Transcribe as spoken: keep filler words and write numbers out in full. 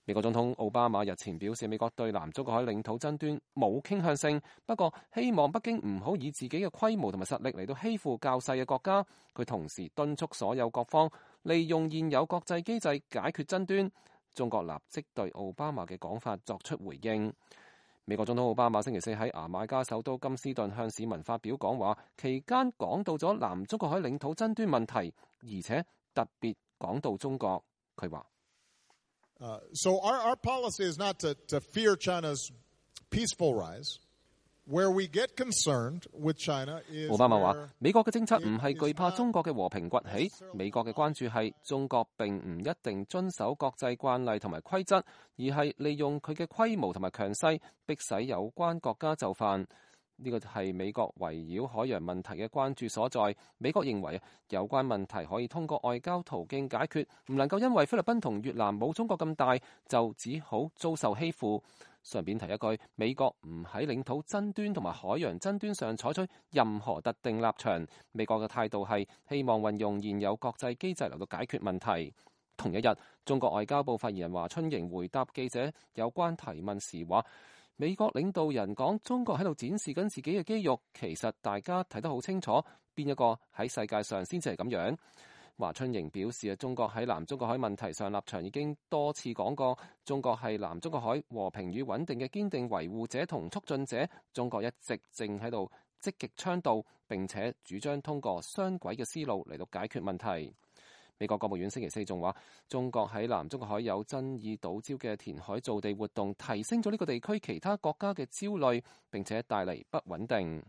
美國總統奧巴馬日前表示，美國對南中國海領土爭端冇傾向性，不過希望北京唔好以自己嘅規模同埋實力嚟到欺負較細嘅國家。佢同時敦促所有各方利用現有國際機制解決爭端。中國立即對奧巴馬嘅講法作出回應。美國總統奧巴馬星期四喺牙買加首都金斯頓向市民發表講話，期間講到咗南中國海領土爭端問題，而且特別講到中國。佢話Uh, so our, our policy is not to, to fear China's peaceful rise. Where we get concerned with China is 奧巴馬話，美國嘅政策唔係懼怕中國嘅和平崛起，美國嘅關注係中國並唔一定遵守國際慣例同埋規則，而係利用佢嘅規模同埋強勢，迫使有關國家就範。呢個係美國圍繞海洋問題嘅關注所在。美國認為有關問題可以通過外交途徑解決，唔能夠因為菲律賓同越南冇中國咁大，就只好遭受欺負。順便提一句，美國唔喺領土爭端同埋海洋爭端上採取任何特定立場。美國嘅態度係希望運用現有國際機制嚟到解決問題。同一日，中國外交部發言人華春瑩回答記者有關提問時話，美國領導人講中國喺度展示緊自己嘅肌肉，其實大家睇得好清楚，邊一個喺世界上先至係咁樣。華春瑩表示啊，中國喺南中國海問題上立場已經多次講過，中國係南中國海和平與穩定嘅堅定維護者同促進者，中國一直正喺度積極倡導並且主張通過雙軌嘅思路嚟到解決問題。美國國務院星期四仲話，中國喺南中國海有爭議島礁嘅填海造地活動，提升咗呢個地區其他國家嘅焦慮，並且帶嚟不穩定。